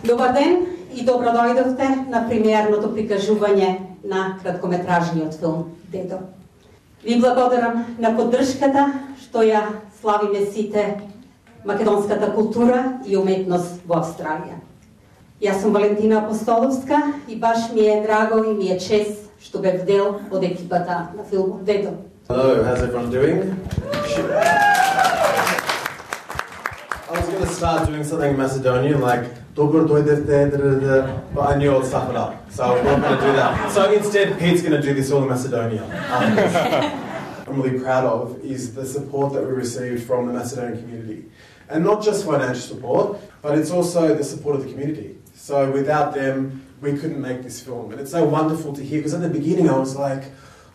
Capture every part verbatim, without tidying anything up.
Добар ден и добро дојдовте на премиерното прикажување на краткометражниот филм Дедо. Ви благодарам на поддршката што ја славиме сите македонската култура и уметност во Австралија. Јас сум Валентина Апостоловска и баш ми е драго и ми е чест што бев дел од екипата на филмот Дедо. Hello, how's everyone doing? I was going to start doing something Macedonian like Dobro dojdete, but I knew I'd stuff it up, so I'm not going to do that. So instead, Pete's going to do this all in Macedonian. Um, I'm really proud of is the support that we received from the Macedonian community. And not just financial support, but it's also the support of the community. So without them, we couldn't make this film. And it's so wonderful to hear, because at the beginning I was like,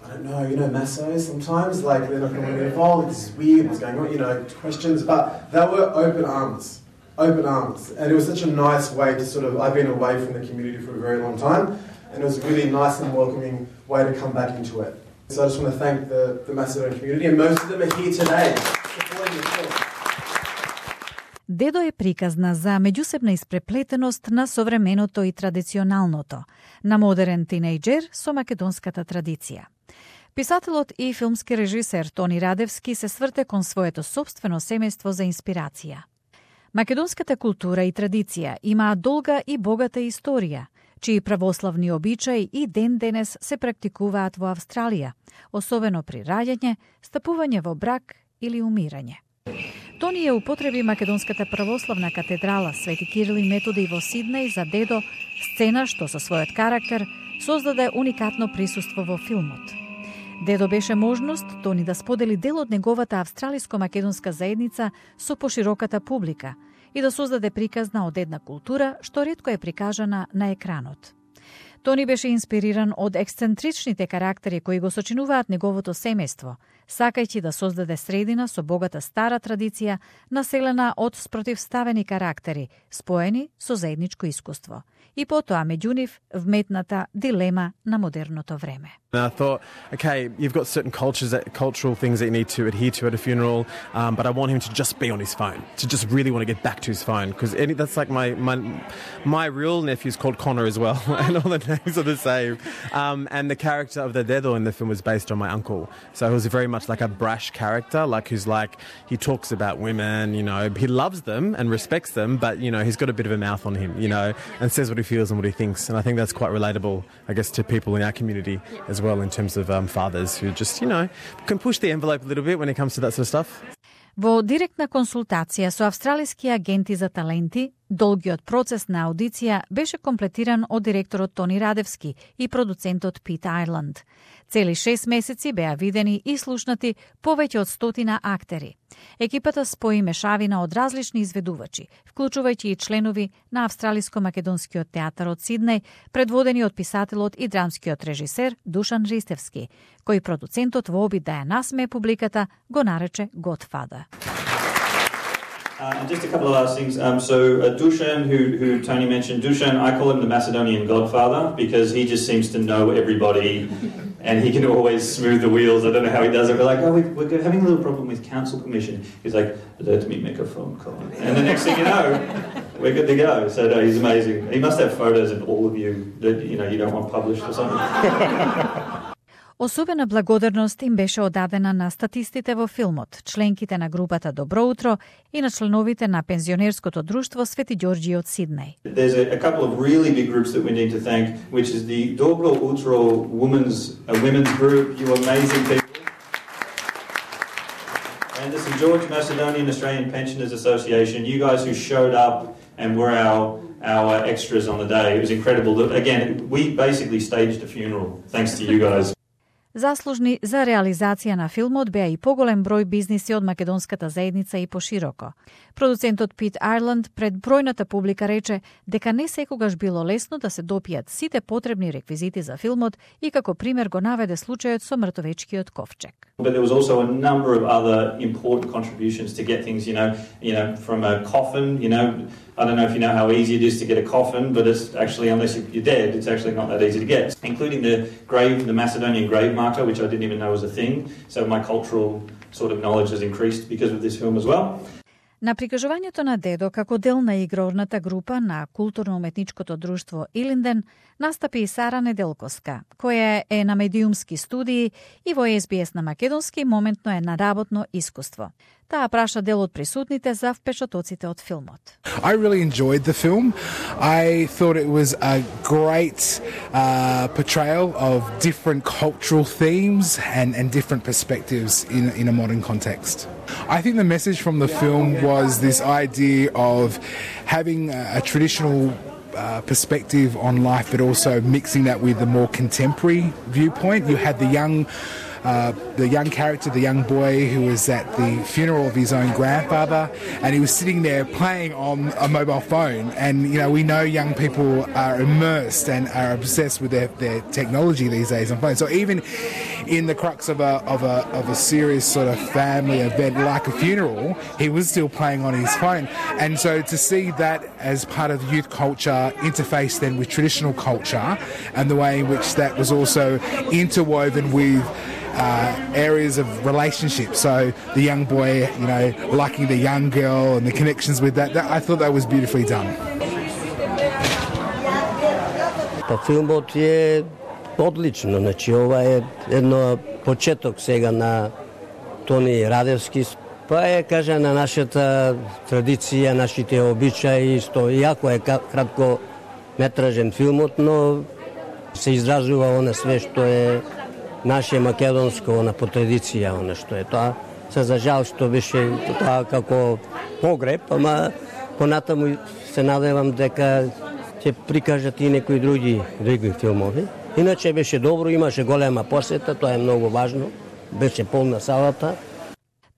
I don't know, you know, Massos sometimes, like they're not going to get involved, this is weird, what's going on, you know, questions. But they were open arms, open arms. And it was such a nice way to sort of, I've been away from the community for a very long time, and it was a really nice and welcoming way to come back into it. So I just want to thank the, the Macedonian community, and most of them are here today supporting the film. Дедо е приказна за меѓусебна испреплетеност на современото и традиционалното, на модерен тинејџер со македонската традиција. Писателот и филмски режисер Тони Радевски се сврте кон своето собствено семејство за инспирација. Македонската култура и традиција имаат долга и богата историја, чии православни обичаи и ден денес се практикуваат во Австралија, особено при раѓање, стапување во брак или умирање. Тони ја употреби македонската православна катедрала Свети Кирил и Методи во Сиднеј за Дедо, сцена што со својот карактер создаде уникатно присуство во филмот. Дедо беше можност Тони да сподели дел од неговата австралиско-македонска заедница со пошироката публика и да создаде приказна од една култура што ретко е прикажана на екранот. Тони беше инспириран од ексцентричните карактери кои го сочинуваат неговото семејство, сакајќи да создаде средина со богата стара традиција, населена од спротивставени карактери, споени со заедничко искуство. И потоа меѓу нив вметната дилема на модерното време. And I thought, okay, you've got certain cultures, that, cultural things that you need to adhere to at a funeral, um, but I want him to just be on his phone, to just really want to get back to his phone, because that's like my, my my real nephew's called Connor as well, and all the names are the same. Um, and the character of the Dedo in the film was based on my uncle, so he was very much like a brash character, like who's like, he talks about women, you know, he loves them and respects them, but, you know, he's got a bit of a mouth on him, you know, and says what he feels and what he thinks, and I think that's quite relatable, I guess, to people in our community as well, in terms of um, fathers who just, you know, can push the envelope a little bit when it comes to that sort of stuff. Во директна консултација со австралиски агенти за таленти, долгиот процес на аудиција беше комплетиран од директорот Тони Радевски и продуцентот Пит Айланд. Цели шест месеци беа видени и слушнати повеќе од стотина актери. Екипата спои мешавина од различни изведувачи, вклучувајќи и членови на Австралиско-македонскиот театар од Сиднеј, предводени од писателот и драмскиот режисер Душан Ристевски, кој продуцентот во обид да ја насмее публиката го нарече Godfather. Uh, and just a couple of last things. Um, so uh, Dusan, who, who Tony mentioned, Dusan, I call him the Macedonian godfather because he just seems to know everybody and he can always smooth the wheels. I don't know how he does it. We're like, oh, we, we're having a little problem with council permission. He's like, let me make a phone call. And the next thing you know, we're good to go. So no, he's amazing. He must have photos of all of you that you know you don't want published or something. Особена благодарност им беше одадена на статистите во филмот, членките на групата Добро утро и на членовите на пензионерското друштво Свети Ѓорѓи од Сиднеј. There's a, a couple of really big groups that we need to thank, which is the Dobro Utro Women's uh, Women's Group. You amazing people. And the Saint George Macedonian Australian Pensioners Association. You guys who showed up and were our our extras on the day. It was incredible. Again, we basically staged a funeral thanks to you guys. Заслужни за реализација на филмот беа и поголем број бизниси од македонската заедница и пошироко. Продуцентот Пит Айланд пред бројната публика рече дека не секогаш било лесно да се допијат сите потребни реквизити за филмот и како пример го наведе случајот со мртовечкиот ковчег. But there was also a number of other important contributions to get things, you know, you know, from a coffin, you know, I don't know if you know how easy it is to get a coffin, but it's actually, unless you're dead, it's actually not that easy to get. Including the grave, the Macedonian grave marker, which I didn't even know was a thing. So my cultural sort of knowledge has increased because of this film as well. На прикажувањето на Дедо како дел на игрорната група на културно-уметничкото друштво Илинден настапи и Сара Неделковска, која е на медиумски студии и во Ес Би Ес на македонски моментно е на работно искуство. Таа праша дел од присутните за впечатоците од филмот. I really enjoyed the film. I thought it was a great uh, portrayal of different cultural themes and, and different perspectives in, in a modern context. I think the message from the film was this idea of having a, a traditional uh, perspective on life, but also mixing that with a more contemporary viewpoint. You had the young Uh, the young character, the young boy who was at the funeral of his own grandfather, and he was sitting there playing on a mobile phone. And, you know, we know young people are immersed and are obsessed with their, their technology these days on phones. So even in the crux of a, of a, of a serious sort of family event like a funeral, he was still playing on his phone. And so to see that as part of youth culture interfaced then with traditional culture, and the way in which that was also interwoven with Uh, areas of relationships, so the young boy, you know, liking the young girl and the connections with that, that I thought that was beautifully done. Па филмот е одлично, значи ова е едно почеток сега на Тони Радевски, па е, кажа, на нашата традиција, нашите обичаи, што иако е кратко метражен филмот, но се изразува оне све што е наше македонско на по традиција, она што е тоа. Се за жал што беше тоа како погреб, ама понатаму се надевам дека ќе прикажат и некои други други филмови. Иначе беше добро, имаше голема посета, тоа е многу важно. Беше полна салата.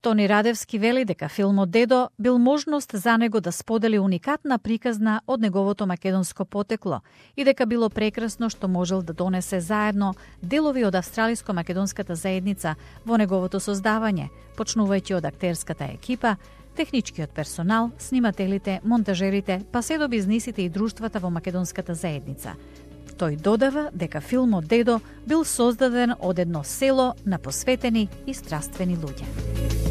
Тони Радевски вели дека филмот Дедо бил можност за него да сподели уникатна приказна од неговото македонско потекло и дека било прекрасно што можел да донесе заедно делови од австралиско-македонската заедница во неговото создавање, почнувајќи од актерската екипа, техничкиот персонал, снимателите, монтажерите, па се до бизнисите и друштвата во македонската заедница. Тој додава дека филмот Дедо бил создаден од едно село на посветени и страствени луѓе.